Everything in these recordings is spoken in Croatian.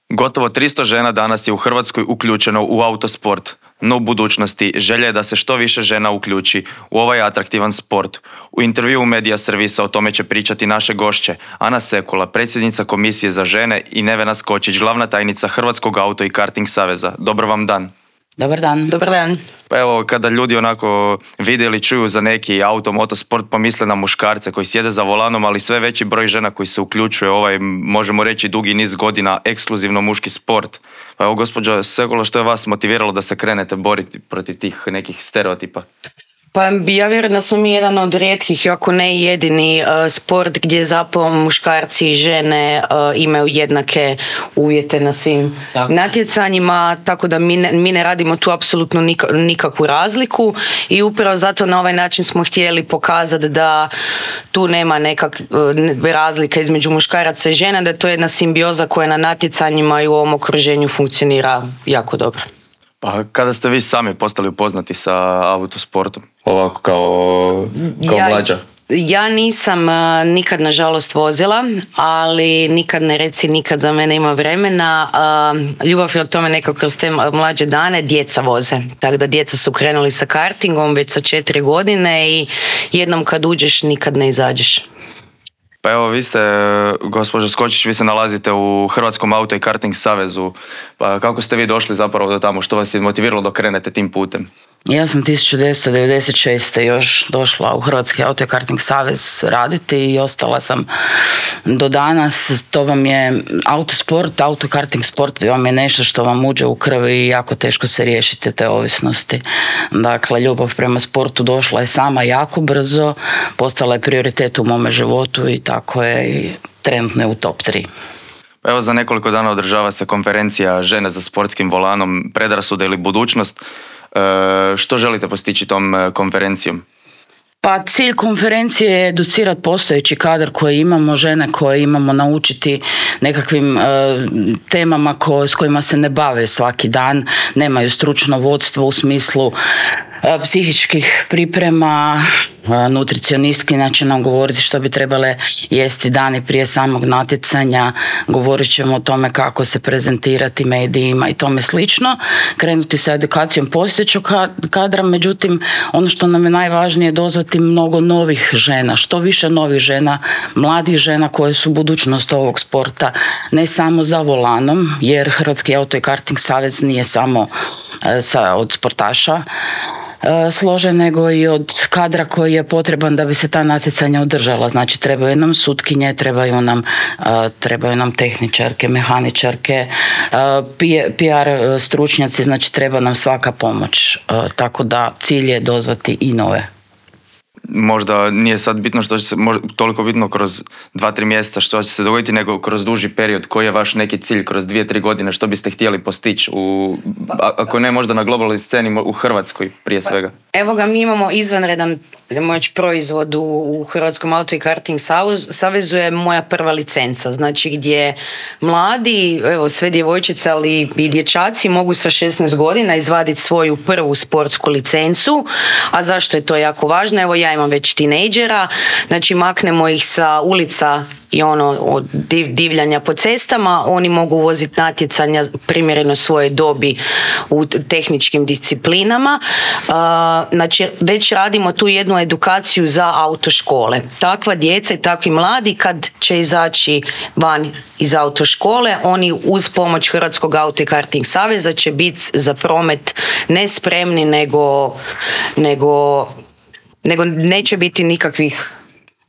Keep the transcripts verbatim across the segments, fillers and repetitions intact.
Gotovo tristo žena danas je u Hrvatskoj uključeno u autosport, no u budućnosti želja je da se što više žena uključi u ovaj atraktivan sport. U intervjuu Medija servisa o tome će pričati naše gošće Ana Sekula, predsjednica Komisije za žene, i Nevena Skočić, glavna tajnica Hrvatskog auto i karting saveza. Dobar vam dan. Dobar dan. Dobar dan. Pa evo, kada ljudi onako vide ili čuju za neki auto, motosport, pomisle na muškarce koji sjede za volanom, ali sve veći broj žena koji se uključuje ovaj, možemo reći, dugi niz godina ekskluzivno muški sport. Pa evo, gospođo Sekula, što je vas motiviralo da se krenete boriti protiv tih nekih stereotipa? Pa ja vjerujem da smo mi jedan od rijetkih, ako ne i jedini uh, sport gdje zapravo muškarci i žene uh, imaju jednake uvjete na svim tako. natjecanjima, tako da mi ne, mi ne radimo tu apsolutno nik, nikakvu razliku i upravo zato na ovaj način smo htjeli pokazati da tu nema nekak uh, razlika između muškaraca i žena, da je to jedna simbioza koja na natjecanjima i u ovom okruženju funkcionira jako dobro. Pa kada ste vi sami postali upoznati sa autosportom, ovako kao, kao ja, mlađa? Ja nisam uh, nikad nažalost vozila, ali nikad ne reci nikad, za mene ima vremena. Uh, ljubav je o tome nekako kroz te mlađe dane, djeca voze. Tako da djeca su krenuli sa kartingom već sa četiri godine i jednom kad uđeš nikad ne izađeš. Pa evo, vi ste, gospođo Skočić, vi se nalazite u Hrvatskom auto i karting savezu. Pa kako ste vi došli zapravo do tamo? Što vas je motiviralo da krenete tim putem? Ja sam tisuću devetsto devedeset šeste. još došla u Hrvatski auto i karting savez raditi i ostala sam do danas. To vam je autosport, auto i karting sport vam je nešto što vam uđe u krvi i jako teško se riješite te ovisnosti. Dakle, ljubav prema sportu došla je sama jako brzo, postala je prioritet u mome životu i tako je i trenutno je u top tri. Evo, za nekoliko dana održava se konferencija Žene za sportskim volanom, predrasude ili budućnost. E, što želite postići tom konferencijom? Pa cilj konferencije je educirati postojeći kadar koji imamo, žene koje imamo, naučiti nekakvim e, temama ko, s kojima se ne bave svaki dan, nemaju stručno vodstvo u smislu e, psihičkih priprema, e, nutricionistkinja će nam govoriti što bi trebale jesti dani prije samog natjecanja, govorit ćemo o tome kako se prezentirati medijima i tome slično, krenuti sa edukacijom postojećeg kadra, međutim ono što nam je najvažnije je dozvati mnogo novih žena, što više novih žena, mladih žena koje su budućnost ovog sporta, ne samo za volanom, jer Hrvatski auto i karting savez nije samo e, sa, od sportaša e, složen, nego i od kadra koji je potreban da bi se ta natjecanja održala. Znači trebaju nam sutkinje, trebaju nam, e, trebaju nam tehničarke, mehaničarke, e, P R stručnjaci, znači treba nam svaka pomoć. E, tako da cilj je dozvati i nove. Možda nije sad bitno što će se, možda, toliko bitno kroz dva, tri mjeseca što će se dogoditi, nego kroz duži period. Koji je vaš neki cilj kroz dvije, tri godine, što biste htjeli postići, u, ako ne možda na globalnoj sceni, u Hrvatskoj prije svega? Evo ga, mi imamo izvanredan moć proizvod u, u Hrvatskom auto i karting savezu, je moja prva licenca, znači gdje mladi, evo sve djevojčice, ali i dječaci mogu sa šesnaest godina izvaditi svoju prvu sportsku licencu. A zašto je to jako važno? Evo, ja imam već tinejdžera, znači maknemo ih sa ulica i ono od divljanja po cestama, oni mogu voziti natjecanja primjereno svoje dobi u tehničkim disciplinama. Uh, znači već radimo tu jednu edukaciju za autoškole. Takva djeca i takvi mladi kad će izaći van iz autoškole, oni uz pomoć Hrvatskog auto i karting saveza će biti za promet ne spremni, nego, nego, nego neće biti nikakvih.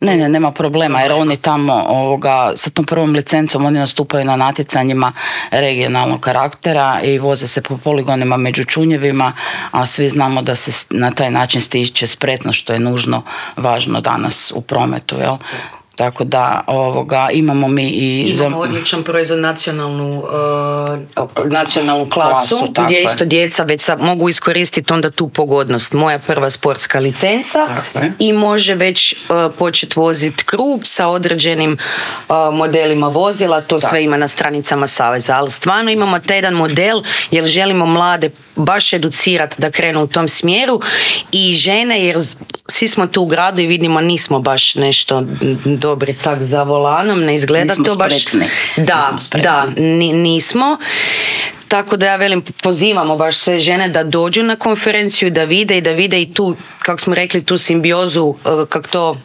Ne, ne, nema problema, jer oni tamo ovoga, sa tom prvom licencom oni nastupaju na natjecanjima regionalnog karaktera i voze se po poligonima među čunjevima, a svi znamo da se na taj način stiče spretno, što je nužno važno danas u prometu, jel? Tako da ovoga, imamo mi i... Imamo odličan proizvod, nacionalnu, uh, nacionalnu klasu, klasu gdje je. Isto djeca već sa, mogu iskoristiti onda tu pogodnost. Moja prva sportska licenca i može već uh, početi voziti krug sa određenim uh, modelima vozila, to tako. Sve ima na stranicama saveza, ali stvarno imamo taj jedan model jer želimo mlade baš educirati da krenu u tom smjeru i žene, jer svi smo tu u gradu i vidimo nismo baš nešto dobri tak za volanom, ne izgleda nismo to baš... Spretni. Da, Nismo da, ni, nismo. Tako da ja velim, pozivamo baš sve žene da dođu na konferenciju, da vide i da vide i tu, kako smo rekli, tu simbiozu, kako to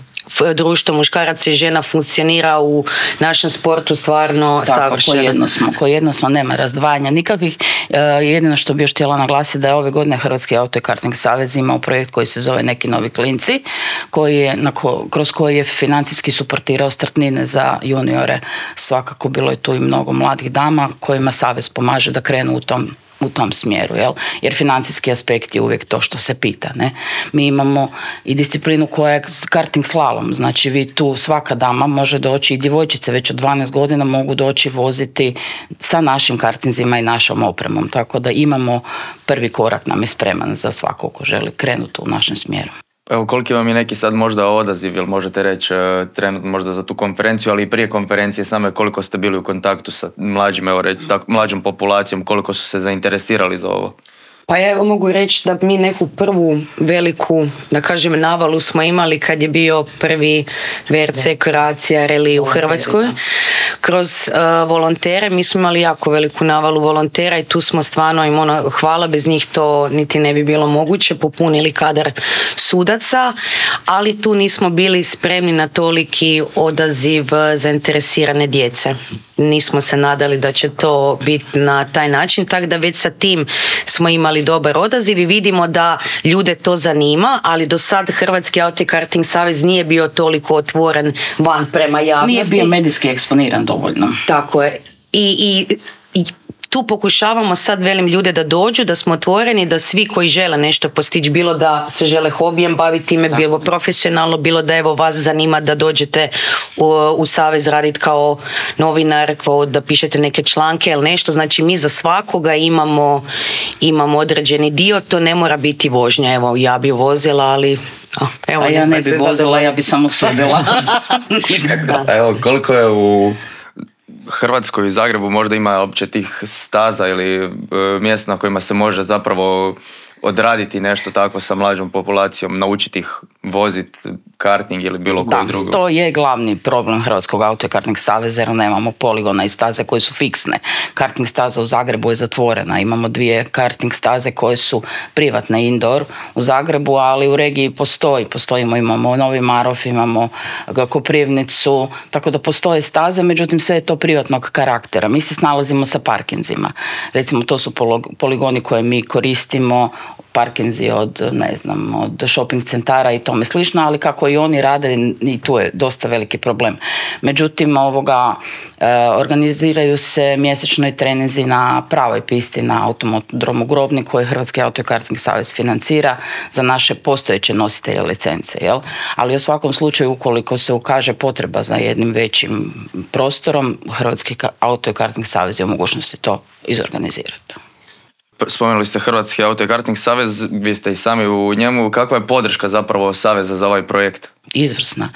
društvo muškaraca i žena funkcionira u našem sportu stvarno tako, savršeno. Tako, jedno smo, ko jedno smo, nema razdvajanja nikakvih. E, jedino što bi još htjela naglasiti da je ove godine Hrvatski auto i karting savez imao projekt koji se zove Neki novi klinci, koji je, na ko, kroz koji je financijski suportirao startnine za juniore. Svakako bilo je tu i mnogo mladih dama kojima savez pomaže da krenu u tom u tom smjeru, jel? Jer financijski aspekt je uvijek to što se pita, ne? Mi imamo i disciplinu koja je karting slalom, znači vi tu svaka dama može doći i djevojčice već od dvanaest godina mogu doći voziti sa našim kartinzima i našom opremom, tako da imamo prvi korak nam je spreman za svako ko želi krenuti u našem smjeru. Evo, koliki vam je neki sad možda odaziv, jel možete reći trenutno možda za tu konferenciju, ali i prije konferencije same koliko ste bili u kontaktu sa mlađim, evo reći, tak, mlađom populacijom, koliko su se zainteresirali za ovo? Pa ja evo mogu reći da mi neku prvu veliku, da kažem, navalu smo imali kad je bio prvi V R C Croatia Rally u Hrvatskoj. Kroz uh, volontere, mi smo imali jako veliku navalu volontera i tu smo stvarno, im ono, hvala, bez njih to niti ne bi bilo moguće, popunili kadar sudaca, ali tu nismo bili spremni na toliki odaziv zainteresirane djece. Nismo se nadali da će to biti na taj način, tako da već sa tim smo imali dobar odaziv i vidimo da ljude to zanima, ali do sad Hrvatski auto i karting savez nije bio toliko otvoren van prema javnosti. Nije bio medijski eksponiran dovoljno. Tako je. I, i, i tu pokušavamo sad, velim, ljude da dođu, da smo otvoreni, da svi koji žele nešto postići, bilo da se žele hobijem baviti time, tako, bilo profesionalno, bilo da evo vas zanima da dođete u, u savez raditi kao novinar, kao da pišete neke članke ili nešto. Znači mi za svakoga imamo, imamo određeni dio, to ne mora biti vožnja. Evo, ja bi vozila, ali... Oh, evo, a ja ne bi vozila, ja bi samo sudila. Evo, koliko je u Hrvatskoj i Zagrebu možda ima uopće tih staza ili e, mjesta na kojima se može zapravo odraditi nešto tako sa mlađom populacijom, naučiti ih voziti karting ili bilo koji drugo. To je glavni problem Hrvatskog auto i karting saveza, jer nemamo poligona i staze koje su fiksne. Karting staza u Zagrebu je zatvorena. Imamo dvije karting staze koje su privatne indoor u Zagrebu, ali u regiji postoji. Postojimo, imamo Novi Marof, imamo Koprivnicu, tako da postoje staze, međutim sve je to privatnog karaktera. Mi se snalazimo sa parkinzima. Recimo, to su poligoni koje mi koristimo, parkinzi od, ne znam, od shopping centara i tome slično, ali kako i oni rade, i tu je dosta veliki problem. Međutim, ovoga, e, organiziraju se mjesečno i treninzi na pravoj pisti na automodromu Grobni koji Hrvatski auto i karting savez financira za naše postojeće nositelje licence, jel? Ali u svakom slučaju, ukoliko se ukaže potreba za jednim većim prostorom, Hrvatski auto i karting savez je u mogućnosti to izorganizirati. Spomenuli ste Hrvatski auto i karting savez, vi ste i sami u njemu. Kakva je podrška zapravo saveza za ovaj projekt? Izvrsna.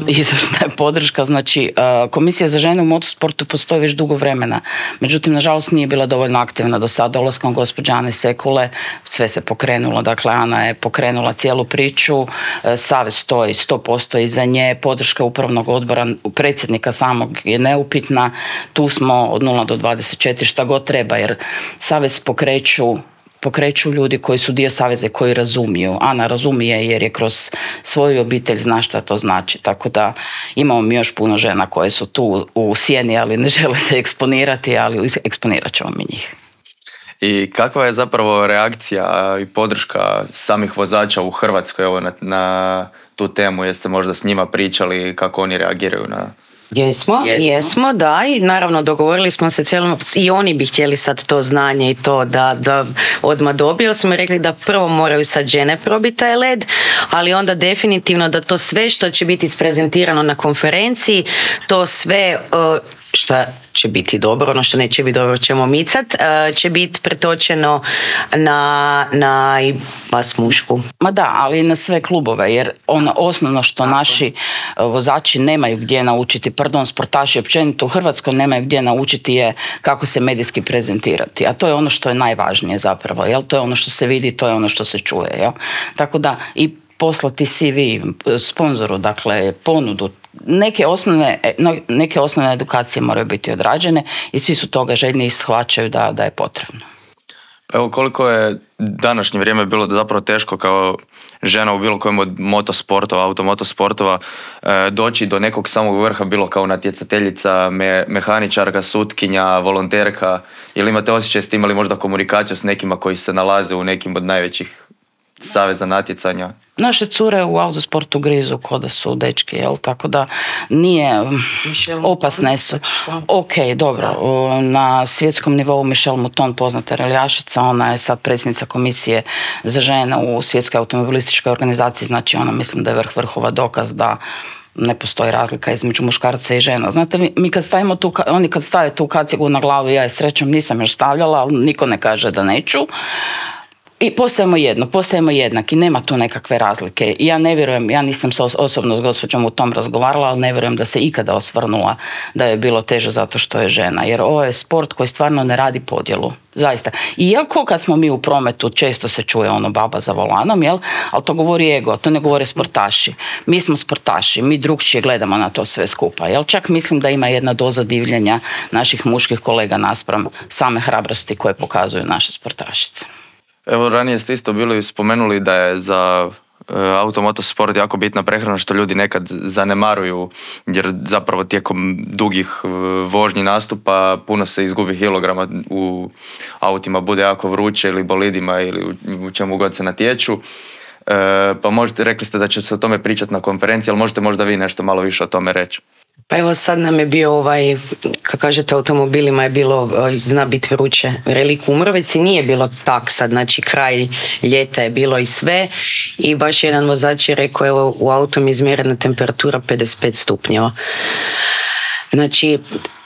Izvrsna je podrška. Znači, Komisija za žene u motosportu postoji već dugo vremena. Međutim, nažalost, nije bila dovoljno aktivna do sada. Dolaskom gospođe Ane Sekule sve se pokrenulo. Dakle, Ana je pokrenula cijelu priču. Savez stoji sto posto iza nje. Podrška upravnog odbora, predsjednika samog je neupitna. Tu smo od nula do dvadeset četiri šta god treba, jer savez pokreću pokreću ljudi koji su dio saveza, koji razumiju. Ana razumije jer je kroz svoju obitelj zna šta to znači. Tako da imamo mi još puno žena koje su tu u sjeni, ali ne žele se eksponirati, ali eksponirat ćemo mi njih. I kakva je zapravo reakcija i podrška samih vozača u Hrvatskoj evo, na, na tu temu? Jeste možda s njima pričali kako oni reagiraju na... Jesmo, jesmo, jesmo, da, i naravno dogovorili smo se cijelom, i oni bi htjeli sad to znanje i to da, da odmah dobiju, smo rekli da prvo moraju sad žene probiti taj led, ali onda definitivno da to sve što će biti isprezentirano na konferenciji, to sve uh, šta će biti dobro, ono što neće biti dobro ćemo micat, će biti pretočeno na, na i vas mušku. Ma da, ali i na sve klubove, jer ono osnovno što Tako. naši vozači nemaju gdje naučiti, pardon, sportaši općenito u Hrvatskoj nemaju gdje naučiti je kako se medijski prezentirati, a to je ono što je najvažnije zapravo, jel? To je ono što se vidi, to je ono što se čuje, jel? Tako da i poslati C V sponzoru, dakle ponudu, neke osnovne, neke osnovne edukacije moraju biti odrađene i svi su toga željni i shvaćaju da, da je potrebno. Evo koliko je današnje vrijeme bilo zapravo teško kao žena u bilo kojem od motosportova, automotosportova e, doći do nekog samog vrha, bilo kao natjecateljica, me, mehaničarka, sutkinja, volonterka, ili imate osjećaj s tim, imali možda komunikaciju s nekima koji se nalaze u nekim od najvećih saveza natjecanja? Naše cure u autosportu grizu ko da su dečki, jel? Tako da nije opasne su. Ok, dobro. Na svjetskom nivou Michelle Mouton, poznata reljašica, ona je sad predsjednica komisije za žene u svjetskoj automobilističkoj organizaciji, znači ona mislim da je vrh vrhova dokaz da ne postoji razlika između muškarca i žena. Znate, mi kad stavimo tu, oni kad stave tu kacigu na glavu, ja je srećom nisam još stavljala, ali niko ne kaže da neću. I postajemo jedno, postajemo jednaki, nema tu nekakve razlike. Ja ne vjerujem, ja nisam se osobno s gospođom u tom razgovarala, ali ne vjerujem da se ikada osvrnula da je bilo teže zato što je žena. Jer ovo je sport koji stvarno ne radi podjelu. Zaista. Iako kad smo mi u prometu, često se čuje ono baba za volanom, jel? Ali to govori ego, to ne govore sportaši. Mi smo sportaši, mi drugčije gledamo na to sve skupa. Jel? Čak mislim da ima jedna doza divljenja naših muških kolega naspram same hrabrosti koje pokazuju naše sportašice. Evo, ranije ste isto bili spomenuli da je za e, automotosport jako bitna prehrana, što ljudi nekad zanemaruju, jer zapravo tijekom dugih e, vožnji nastupa puno se izgubi kilograma u autima, bude jako vruće ili bolidima ili u, u čemu god se natječu. E, pa možete, rekli ste da će se o tome pričati na konferenciji, ali možete možda vi nešto malo više o tome reći. Pa evo sad nam je bio ovaj, kako kažete, automobilima je bilo, zna biti vruće, Relik u Mrvici, nije bilo tak sad, znači kraj ljeta je bilo i sve i baš jedan vozač je rekao, evo u autu mi je izmjerena temperatura pedeset pet stupnjeva. Znači,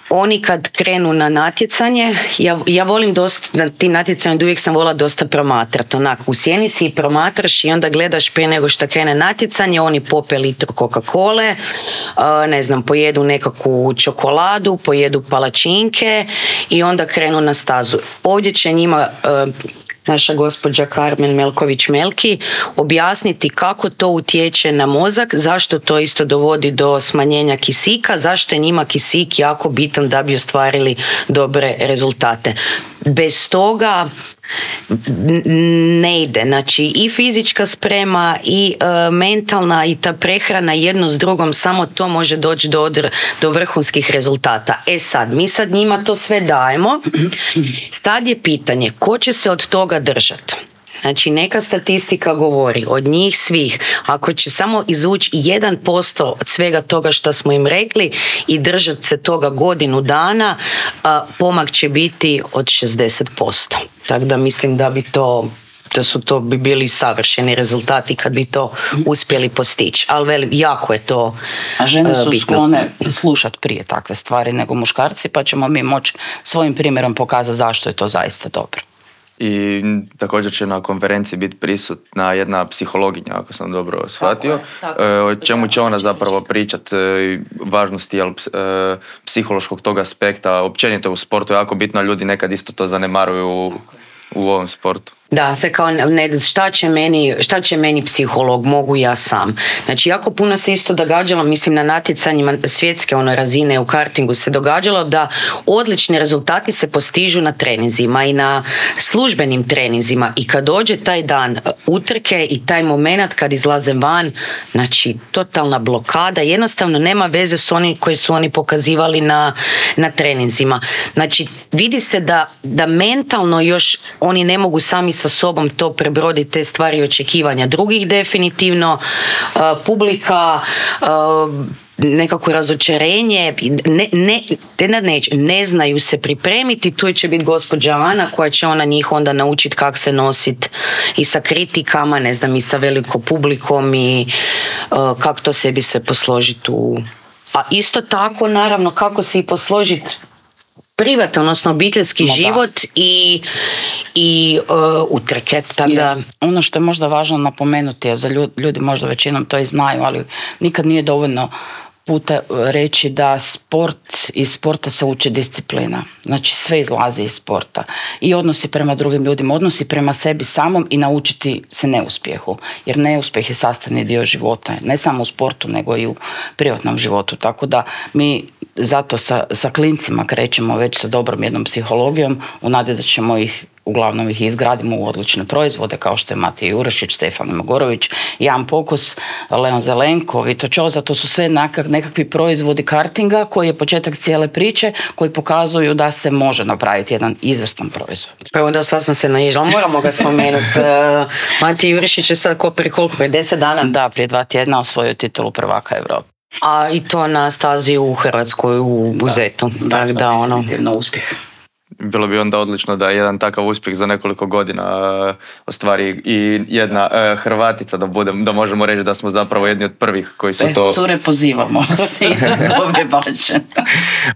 oni kad krenu na natjecanje, ja, ja volim dosta, na tim natjecanjima uvijek sam volila dosta promatrati, onako u sjenici i promatraš i onda gledaš prije nego što krene natjecanje, oni pope litru Coca-Cole, uh, ne znam, pojedu nekakvu čokoladu, pojedu palačinke i onda krenu na stazu. Ovdje će njima uh, naša gospođa Karmen Melković-Melki objasniti kako to utječe na mozak, zašto to isto dovodi do smanjenja kisika, zašto je njima kisik jako bitan da bi ostvarili dobre rezultate. Bez toga ne ide. Znači i fizička sprema i e, mentalna i ta prehrana jedno s drugom, samo to može doći do, do vrhunskih rezultata. E sad, mi sad njima to sve dajemo. Sad je pitanje ko će se od toga držati. Znači neka statistika govori od njih svih, ako će samo izvući jedan posto od svega toga što smo im rekli i držati se toga godinu dana, a, pomak će biti od šezdeset posto. Tako da mislim da bi to, da su to bi bili savršeni rezultati kad bi to uspjeli postići. Ali velim, jako je to bitno. A žene su sklone slušati prije takve stvari nego muškarci, pa ćemo mi moći svojim primjerom pokazati zašto je to zaista dobro. I također će na konferenciji biti prisutna jedna psihologinja, ako sam dobro shvatio. Tako je, tako. O čemu će ona zapravo pričati, važnosti jel, psihološkog tog aspekta, općenito u sportu je jako bitno, ljudi nekad isto to zanemaruju u, u ovom sportu. Da, se kao ne, šta će meni, šta će meni psiholog, mogu ja sam. Znači, jako puno se isto događalo, mislim na natjecanjima svjetske ono razine u kartingu se događalo da odlični rezultati se postižu na treninzima i na službenim treninzima i kad dođe taj dan utrke i taj moment kad izlaze van, znači totalna blokada, jednostavno nema veze s onim koji su oni pokazivali na, na treninzima. Znači, vidi se da, da mentalno još oni ne mogu sami sa sobom to prebroditi, te stvari očekivanja drugih definitivno, uh, publika, uh, nekako razočarenje, ne, ne, ne, ne, ne znaju se pripremiti, tu će biti gospođa Ana koja će ona njih onda naučiti kako se nositi i sa kritikama, ne znam, i sa velikom publikom i uh, kako to sebi sve posložiti u a isto tako naravno kako si posložiti privatan, odnosno obiteljski No, život i, i uh, utrke. Tako da... Ono što je možda važno napomenuti, za ljudi, ljudi možda većinom to i znaju, ali nikad nije dovoljno puta reći da sport, iz sporta se uči disciplina. Znači sve izlazi iz sporta. I odnosi prema drugim ljudima, odnosi prema sebi samom i naučiti se neuspjehu. Jer neuspjeh je sastavni dio života. Ne samo u sportu, nego i u privatnom životu. Tako da mi zato sa, sa klincima krećemo već sa dobrom jednom psihologijom u nadi da ćemo ih uglavnom ih izgradimo u odlične proizvode kao što je Matija Jurešić, Stefan Mogorović, Jan Pokus, Leon Zelenko, Vito Čoza, to su sve nekakvi proizvodi kartinga koji je početak cijele priče, koji pokazuju da se može napraviti jedan izvrstan proizvod. Pa onda sva sam se naišla, moramo ga spomenuti. uh, Matija Jurešić je sad ko prije koliko, prije deset dana? Da, prije dva tjedna osvojio titulu prvaka Europe. A i to na stazi u Hrvatskoj, u Buzetu. Da, tak, da, da, ono. definitivno uspjeh. Bilo bi onda odlično da jedan takav uspjeh za nekoliko godina uh, ostvari i jedna uh, Hrvatica, da budem, da možemo reći da smo zapravo jedni od prvih koji su e, to... Cure, pozivamo se iza ove bače.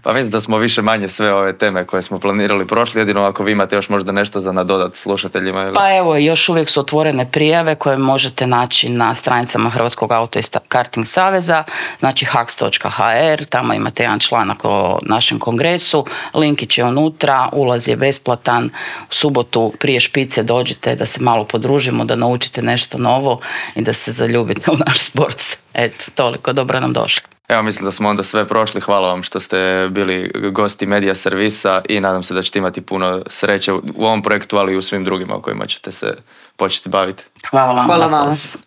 Pa mislim da smo više manje sve ove teme koje smo planirali prošli, jedino ako vi imate još možda nešto za nadodat slušateljima. Ili... Pa evo, još uvijek su otvorene prijave koje možete naći na stranicama Hrvatskog auto i karting saveza, znači haks točka ha er, tamo imate jedan članak o našem kongresu, linkić je unutra, ulaz je besplatan, u subotu prije špice dođite da se malo podružimo, da naučite nešto novo i da se zaljubite u naš sport. Eto, toliko, dobro nam došli. Evo, mislim da smo onda sve prošli. Hvala vam što ste bili gosti Medija servisa i nadam se da ćete imati puno sreće u ovom projektu, ali i u svim drugima o kojima ćete se početi baviti. Hvala vam. Hvala vam.